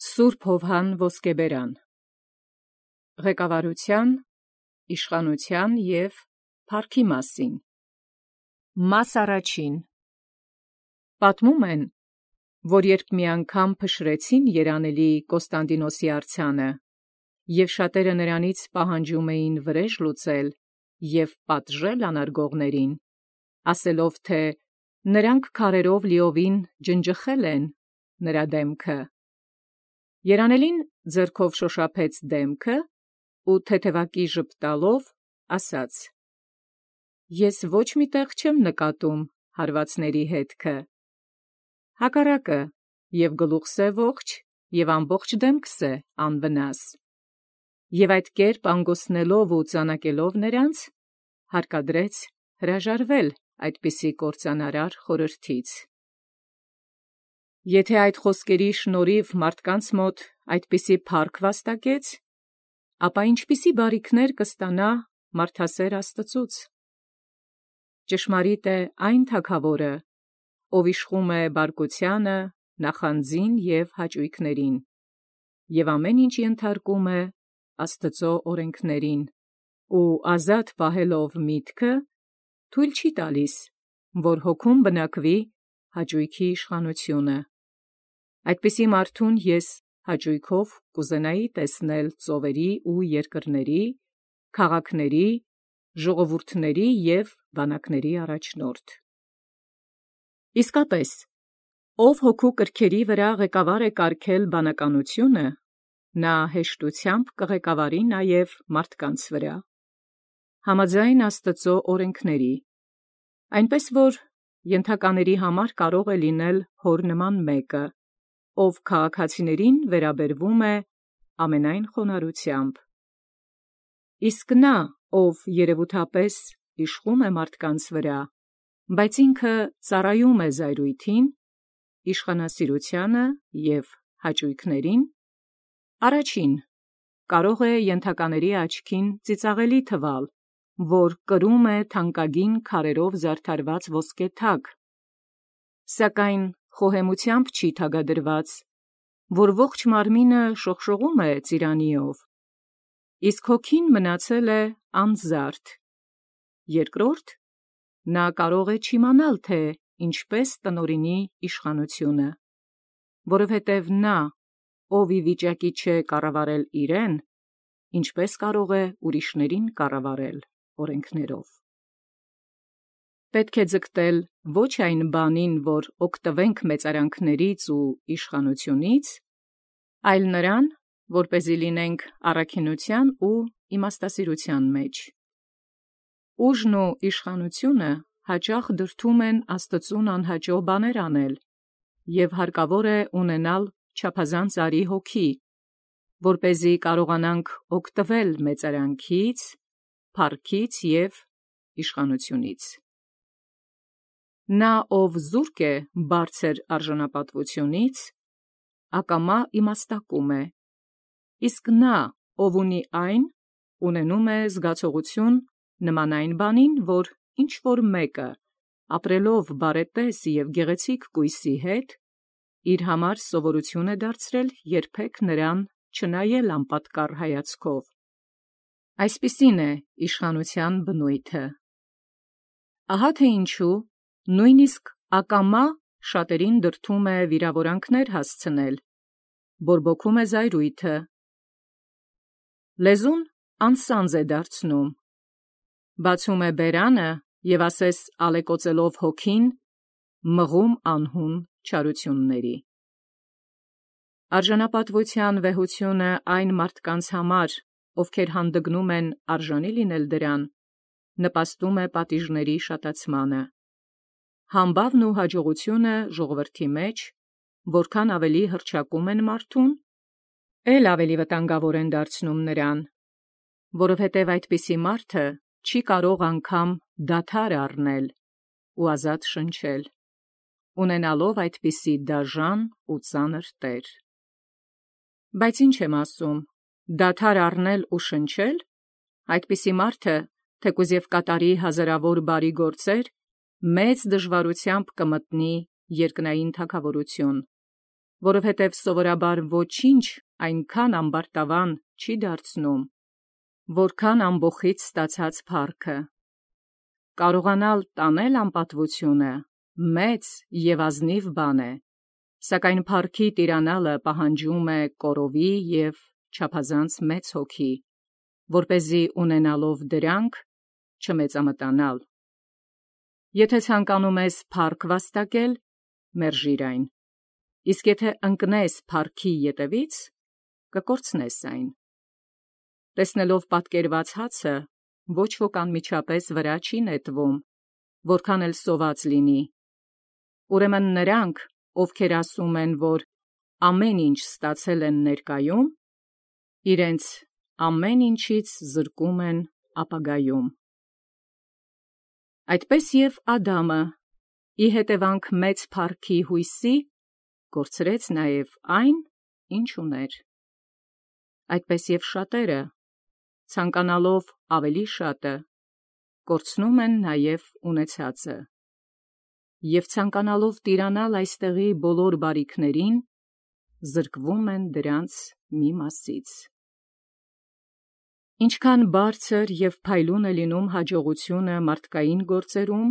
Սուրբ Հովհան Ոսկեբերան Ղեկավարության, իշխանության և փառքի մասին Մաս առաջին Պատմում են, որ երբ մի անգամ փշրեցին երանելի Կոստանդինոսի արձանը, և շատերը նրանից պահանջում էին վրեժ լուծել և պատժել անարգողներին, ասելով թե նրանք քարերով լիովին ջնջխել են նրա դեմքը, երանելին ձեռքով շոշափեց դեմքը ու թեթևակի ժպտալով ասաց. Ես ոչ մի տեղ չեմ նկատում հարվածների հետքը, հակառակը, և գլուխս է ողջ, և ամբողջ դեմքս է անվնաս, և այդ կերպ անգոստնելով ու ծանակելով նրանց, հարկադրեց հրաժարվել այդպիսի կործանարար խորհրդից։ Եթե այդ խոսքերի շնորհիվ մարդկանց մոտ այդպիսի փառք վաստակեց, ապա ինչպիսի բարիքներ կստանա մարդասեր Աստծուց։ Ճշմարիտ է այն թագավորը, ով իշխում է բարկությանը, նախանձին և հաճույքներին, և ամեն ինչ ենթարկում է Աստծո օրենքներին, ու ազատ պահելով միտքը, թույլ չի տալիս, որ հոգում բնակվի հաճույքի իշխանությունը։ Այդպիսի մարդուն ես հաճույքով կուզենայի տեսնել ծովերի ու երկրների, քաղաքների, ժողովուրդների և բանակների առաջնորդ։ Իսկապես, ով հոգու կրքերի վրա ղեկավար է կարգել բանականությունը, նա հեշտությամբ կղեկավարի նաև մարդկանց վրա, համաձայն Աստծո օրենքների, այնպես որ ենթակաների համար կարող է լինել հոր նման մեկը, ով քաղաքացիներին վերաբերվում է ամենայն խոնարհությամբ։ Իսկ նա, ով երևութապես իշխում է մարդկանց վրա, բայց ինքը ծառայում է զայրույթին, իշխանասիրությանը և հաճույքներին, առաջին կարող է ենթակաների աչքին ծիծաղելի թվալ, որ կրում է թանկագին քարերով զարդարված ոսկե թագ, սակայն խոհեմությամբ չի թագադրված, որ ողջ մարմինը շողշողում է ծիրանիով, իսկ հոգին մնացել է անզարդ։ Երկրորդ, նա կարող է չիմանալ, թե ինչպես տնօրինի իշխանությունը, որովհետև նա, ով ի վիճակի չէ կառավարել իրեն, ինչպես կարող է ուրիշներին կառավարել օրենքներով։ Պետք է ձգտել ոչ այն բանին, որ օգտվենք մեծարանքներից ու իշխանությունից, այլ նրան, որպեսզի լինենք առաքինության ու իմաստասիրության մեջ։ Ուժն ու իշխանությունը հաճախ դրդում են Աստծուն անհաճո բաներ անել, և հարկավոր է ունենալ չափազանց արի հոգի, որպեսզի կարողանանք օգտվել մեծարանքից, փառքից և իշխանությունից։ Նա, ով զուրկ է բարձր արժանապատվությունից, ակամա իմաստակում է, իսկ նա, ով ունի այն, ունենում է զգացողություն նման այն բանին, որ ինչ-որ մեկը, ապրելով բարետես և գեղեցիկ կույսի հետ, իր համար սովորություն է դարձրել երբեք նրան չնայել անպատկառ հայացքով։ Այսպիսին է իշխանության բնույթը։ Ահա թե ինչու նույնիսկ ակամա շատերին դրդում է վիրավորանքներ հասցնել, բորբոքում է զայրույթը, լեզուն անսանձ է դարձնում, բացում է բերանը և ասես ալեկոծելով հոգին, մղում անհուն չարությունների։ Արժանապատվության վեհությունը այն մարդկանց համար, ովքեր հանդգնում են արժանի լինել դրան, նպաստում է պատիժների շատացմանը։ Համբավն ու հաջողությունը ժողովրդի մեջ, որքան ավելի հռչակում են մարդուն, էլ ավելի վտանգավոր են դարձնում նրան, որովհետև այդպիսի մարդը չի կարող անգամ դադար առնել ու ազատ շնչել, ունենալով այդպիսի դաժան ու ծանր տեր։ Բայց ինչ եմ ասում, դադար առնել ու շնչել, այդպիսի մարդը, թեկուզ և կատարի հազարավոր բարի գործեր, մեծ դժվարությամբ կմտնի երկնային թագավորություն, որովհետև սովորաբար ոչինչ այնքան ամբարտավան չի դարձնում, որքան ամբոխից ստացած փառքը։ Կարողանալ տանել անպատվությունը մեծ և ազնիվ բան է, սակայն փառքի տիրանալը պահանջում է կորովի և չափազանց մեծ հոգի, որպեսզի ունենալով դրանք չմեծամտանալ։ Եթե ցանկանում ես փառք վաստակել, մերժիր այն, իսկ եթե ընկնես փառքի ետևից, կկորցնես այն։ Տեսնելով պատկերված հացը, ոչ ոք անմիջապես վրա չի նետվում, որքան էլ սոված լինի։ Ուրեմն նրանք, ովքեր ասում են, որ ամեն ինչ ստացել են ներկայում, իրենց ամեն ինչից զրկում են ապագայում։ Այդպես և Ադամը, ի հետևանք մեծ փառքի հույսի, կորցրեց նաև այն, ինչ ուներ։ Այդպես և շատերը, ցանկանալով ավելի շատը, կորցնում են նաև ունեցածը, և ցանկանալով տիրանալ այստեղի բոլոր բարիքներին, զրկվում են դրանց մի մասից։ Ինչքան բարձր և փայլուն է լինում հաջողությունը մարդկային գործերում,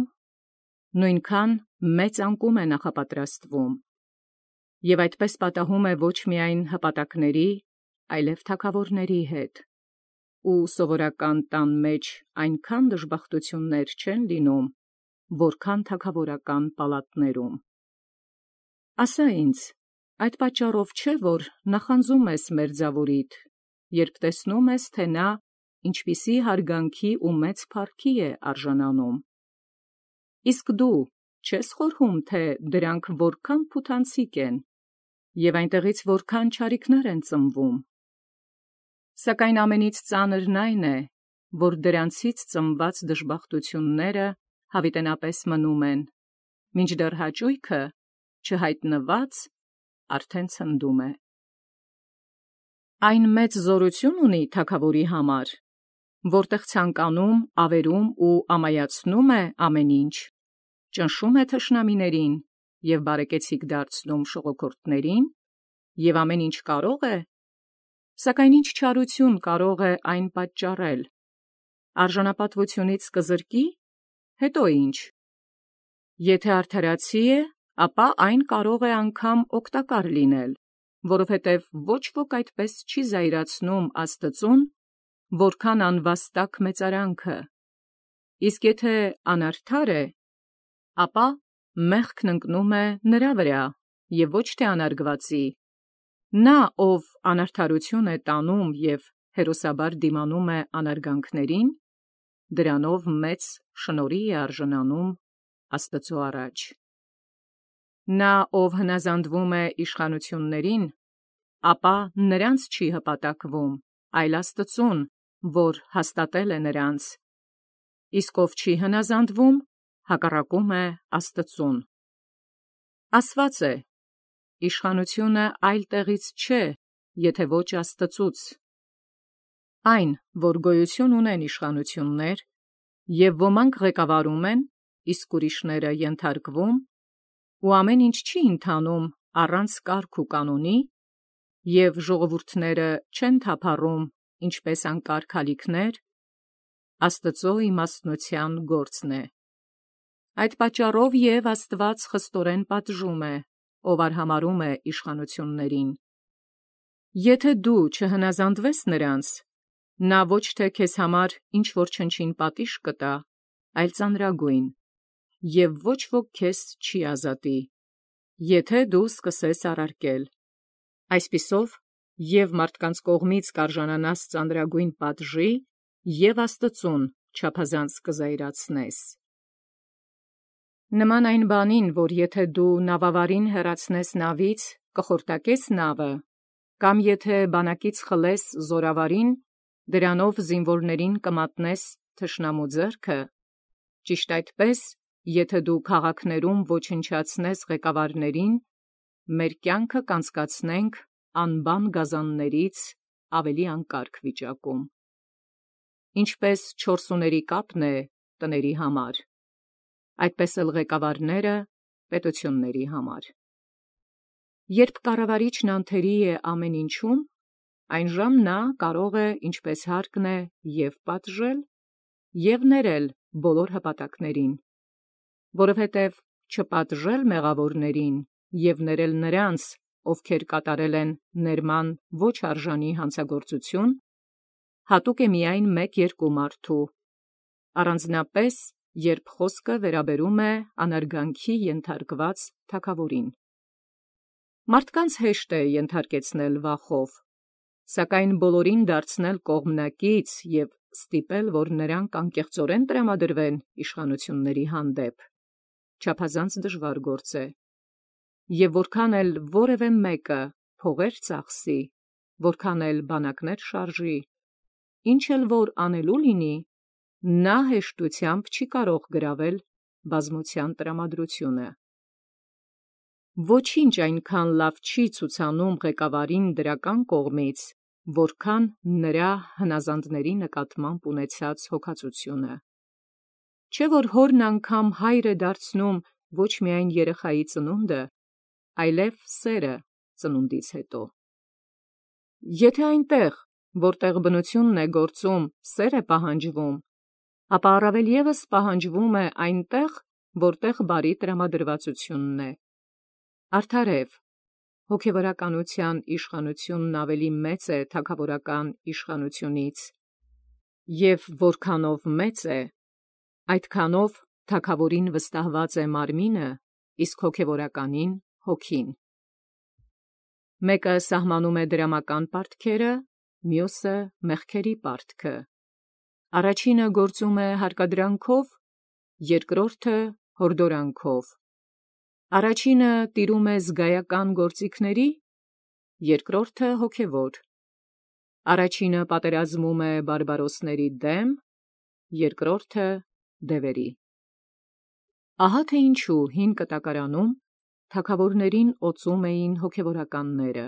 նույնքան մեծ անկում է նախապատրաստվում, և այդպես պատահում է ոչ միայն հպատակների, այլև թագավորների հետ, ու սովորական տան մեջ այնքան դժբախտություններ չեն լինում, որքան թագավորական պալատներում։ Ասա ինձ, այդ պատճառով չէ, որ նախանձում ես մերձավորիդ, երբ տեսնում ես, թե նա ինչպիսի հարգանքի ու մեծ փառքի է արժանանում։ Իսկ դու չես խորհում, թե դրանք որքան փութանցիկ են, և այնտեղից որքան չարիքներ են ծնվում։ Սակայն ամենից ծանրն այն է, որ դրանցից ծնված դժբախտությունները հավիտենապես մնում են, մինչդեռ հաճույքը, չհայտնված, արդեն ցնդում է։ Այն մեծ զորություն ունի թագավորի համար, որտեղ ցանկանում, ավերում ու ամայացնում է ամեն ինչ, ճնշում է թշնամիներին և բարեկեցիկ դարձնում շողոքորթներին, և ամեն ինչ կարող է, սակայն ինչ չարություն կարող է այն պատճառել։ Արժանապատվությունից կզրկի՞, հետո ինչ։ Եթե արդարացի է, ապա այն կարող է անգամ օգտակար լինել, որովհետև ոչ ոք այդպես չի զայրացնում Աստծուն, որքան անվաստակ մեծարանքը, իսկ եթե անարդար է, ապա մեղքն ընկնում է նրա վրա և ոչ թե անարգվածի։ Նա, ով անարդարություն է տանում և հերոսաբար դիմանում է անարգանքներին, դրանով մեծ շնորհի է արժանանում Աստծու առաջ։ Նա, ով հնազանդվում է իշխանություններին, ապա նրանց չի հպատակվում, այլ Աստծուն, որ հաստատել է նրանց, իսկ ով չի հնազանդվում, հակառակում է Աստծուն։ Ասված է. «Իշխանությունը այլ տեղից չէ, եթե ոչ Աստծուց»։ Այն, որ գոյություն ունեն իշխանություններ, և ոմանք ղեկավարում են, իսկ ուրիշները ենթարկվում, ու ամեն ինչ չի ընթանում առանց կարգ ու կանոնի, և ժողովուրդները չեն թափառում ինչպես անկարգ ալիքներ, Աստծու իմաստնության գործն է։ Այդ պատճառով և Աստված խստորեն պատժում է, ով արհամարհում է իշխանություններին։ Եթե դու չհնազանդվես նրանց, նա ոչ թե քեզ համար ինչ-որ չնչին պատիժ կտա, այլ ծանրագույն, և ոչ ոք քեզ չի ազատի, եթե դու սկսես առարկել։ Այսպիսով, և մարդկանց կողմից կարժանանաս ծանրագույն պատժի, և Աստծուն չափազանց կզայրացնես։ Նման այն բանին, որ եթե դու նավավարին հեռացնես նավից, կխորտակես նավը, կամ եթե բանակից խլես զորավարին, դրանով զինվորներին կմատնես թշնամու ձեռքը, ճիշտ այդպես, եթե դու քաղաքներում ոչնչացնես ղեկավարներին, մեր կյանքը կանցկացնենք անբան գազաններից ավելի անկարգ վիճակում։ Ինչպես չորսուների կապն է տների համար, այդպես էլ ղեկավարները պետությունների համար։ Երբ կառավարիչն անթերի է ամեն ինչում, այնժամ նա կարող է ինչպես հարկն է և պատժել, և ներել բոլոր հպատակներին, որովհետև չպատժել մեղավորներին և ներել նրանց, ովքեր կատարել են ներման ոչ արժանի հանցագործություն, հատուկ է միայն մեկ-երկու մարդու, առանձնապես երբ խոսքը վերաբերում է անարգանքի ենթարկված թագավորին։ Մարդկանց հեշտ է ենթարկեցնել վախով, սակայն բոլորին դարձնել կողմնակից և ստիպել, որ նրանք անկեղծորեն տրամադրվեն իշխանությունների հանդեպ, չափազանց դժվար գործ է, և որքան էլ որևէ մեկը փողեր ծախսի, որքան էլ բանակներ շարժի, ինչ էլ որ անելու լինի, նա հեշտությամբ չի կարող գրավել բազմության տրամադրությունը։ Ոչինչ այնքան լավ չի ցուցանում ղեկավարին դրական կողմից, որքան նրա հնազանդների նկատմամբ ունեցած հոգածությունը։ Չէ՞ որ հորն անգամ հայր է դարձնում ոչ միայն երեխայի ծնունդը, այլև սերը ծնունդից հետո։ Եթե այնտեղ, որտեղ բնությունն է գործում, սեր է պահանջվում, ապա առավել ևս պահանջվում է այնտեղ, որտեղ բարի տրամադրվածությունն է։ Արդարև, հոգևորականության իշխանությունն ավելի մեծ է թագավորական իշխանությունից, և որքանով մեծ է, այդքանով թագավորին վստահված է մարմինը, իսկ հոգևորականին հոգին։ Մեկը սահմանում է դրամական պարտքերը, մյուսը մեղքերի պարտքը։ Առաջինը գործում է հարկադրանքով, երկրորդը հորդորանքով։ Առաջինը տիրում է զգայական գործիքների, երկրորդը հոգևոր։ Առաջինը պատերազմում է բարբարոսների դեմ, երկրորդը դևերի։ Ահա թե ինչու հին կտակարանում թագավորներին օծում էին հոգևորականները,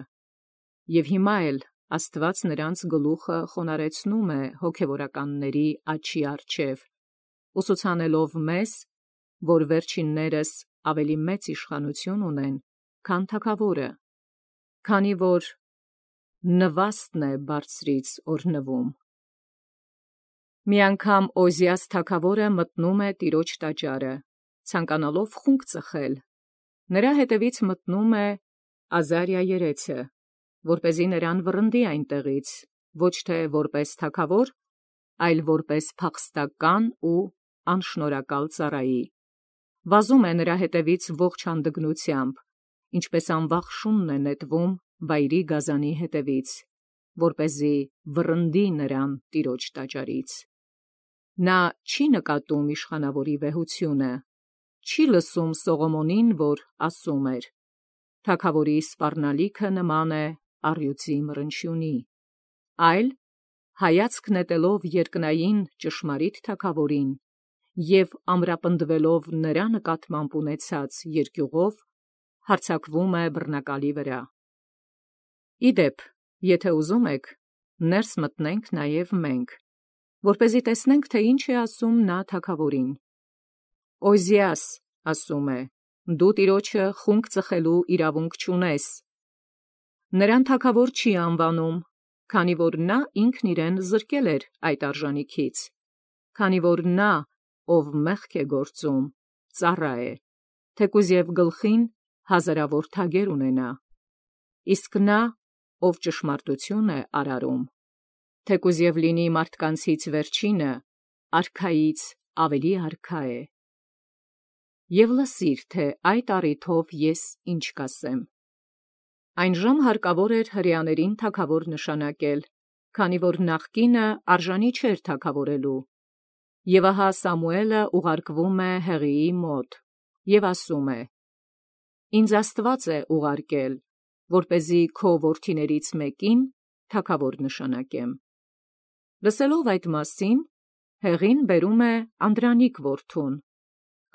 և հիմա էլ Աստված նրանց գլուխը խոնարհեցնում է հոգևորականների աչքի առջև, ուսուցանելով մեզ, որ վերջիններս ավելի մեծ իշխանություն ունեն, քան թագավորը, քանի որ նվաստն է բարձրից օրհնվում։ Մի անգամ Օզիաս թագավորը մտնում է տիրոջ տաճարը, ցանկանալով խունկ ծխել, նրա հետևից մտնում է Ազարիա երեցը, որպեսզի նրան վռնդի այնտեղից, ոչ թե որպես թագավոր, այլ որպես փախստական ու անշնորհակալ ծառայի, վազում է նրա հետևից ողջ հանդգնությամբ, ինչպես անվախ շունն է նետվում վայրի գազանի հետևից, որպեսզի վռնդի նրան տիրոջ տաճարից։ Նա չի նկատում իշխանավորի վեհությունը, չի լսում Սողոմոնին, որ ասում էր. «Թագավորի սպառնալիքը նման է առյուծի մռնչյունի», այլ հայացք նետելով երկնային ճշմարիտ թագավորին և ամրապնդվելով նրա նկատմամբ ունեցած երկյուղով, հարձակվում է բռնակալի վրա։ Ի դեպ, եթե ուզում եք, ներս մտնենք նաև մենք, որպեսզի տեսնենք, թե ինչ է ասում նա թագավորին։ Օզիաս ասում է. «Դու տիրոջը խունկ ծխելու իրավունք չունես»։ Նրան թագավոր չի անվանում, քանի որ նա ինքն իրեն զրկել էր այդ արժանիքից, քանի որ նա, ով մեղք է գործում, ծառա է, թեկուզ և գլխին հազարավոր թագեր ունենա, իսկ նա, ով ճշմարտություն է արարում, թեկուզ և լինի մարդկանցից վերջինը, արքայից ավելի արքա է։ Եվ լսիր, թե այդ առիթով ես ինչ կասեմ։ Այնժամ հարկավոր էր հրեաներին թագավոր նշանակել, քանի որ նախկինը արժանի չէր թագավորելու։ Եվ ահա Սամուէլը ուղարկվում է Հեղիի մոտ և ասում է. «Ինձ Աստված է ուղարկել, որպեսզի քո որդիներից մեկին թագավոր նշանակեմ»։ Լսելով այդ մասին, Հեղին բերում է Անդրանիկ որդուն,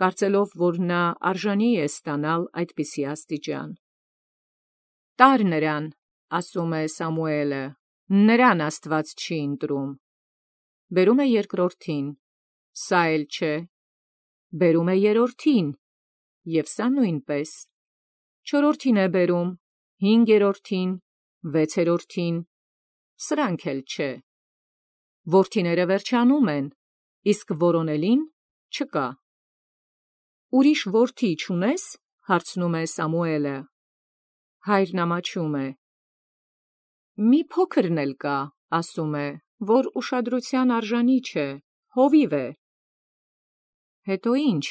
կարծելով, որ նա արժանի է ստանալ այդպիսի աստիճան։ «Տա՛ր նրան, ասում է Սամուէլը, նրան Աստված չի ընտրում»։ Բերում է երկրորդին, սա էլ չէ։ Բերում է երրորդին, և սա նույնպես։ Չորրորդին է բերում, 5-րդին, 6-րդին, սրանք էլ չէ։ Որդիները վերջանում են, իսկ որոնելին չկա։ Ուրիշ որդի չունես, հարցնում է Սամուելը։ Հայրն ամաչում է։ Մի փոքրն էլ կա, ասում է, որ ուշադրության արժանի չէ, հովիվ է։ Հետո ինչ,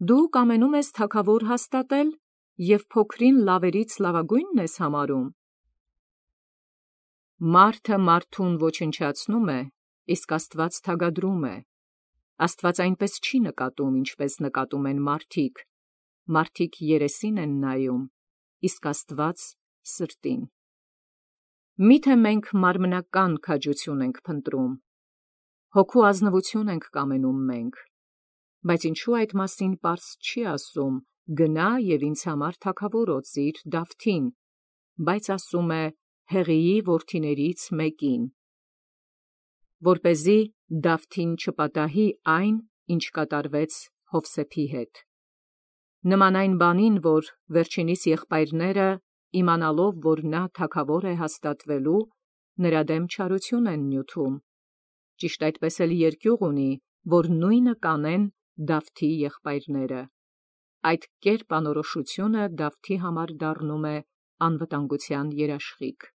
դու կամենում ես թագավոր հաստատել և փոքրին լավերից լավագույնն ես համարում։ Մարդը մարդուն ոչնչացնում է, իսկ Աստված թագադրում է։ Աստված այնպես չի նկատում, ինչպես նկատում են մարդիկ։ Մարդիկ երեսին են նայում, իսկ Աստված սրտին։ Միթե մենք մարմնական քաջություն ենք փնտրում, հոգու ազնվություն ենք կամենում մենք, բայց ինչու այդ մասին պարզ չի ասում. գնա և ինձ համար թագավոր օծիր Դավթին, բայց ասում է Հեղիի որդիներից մեկին, որպեսզի Դավթին չպատահի այն, ինչ կատարվեց Հովսեփի հետ։ Նման այն բանին, որ վերջինիս եղբայրները, իմանալով, որ նա թագավոր է հաստատվելու, նրա դեմ չարություն են նյութում։ Ճիշտ այդպես էլ երկյուղ ունի, որ նույնը կանեն Դավթի եղբայրները։ Այդ կերպ անորոշությունը Դավթի համար դառնում է անվտանգության երաշխիք։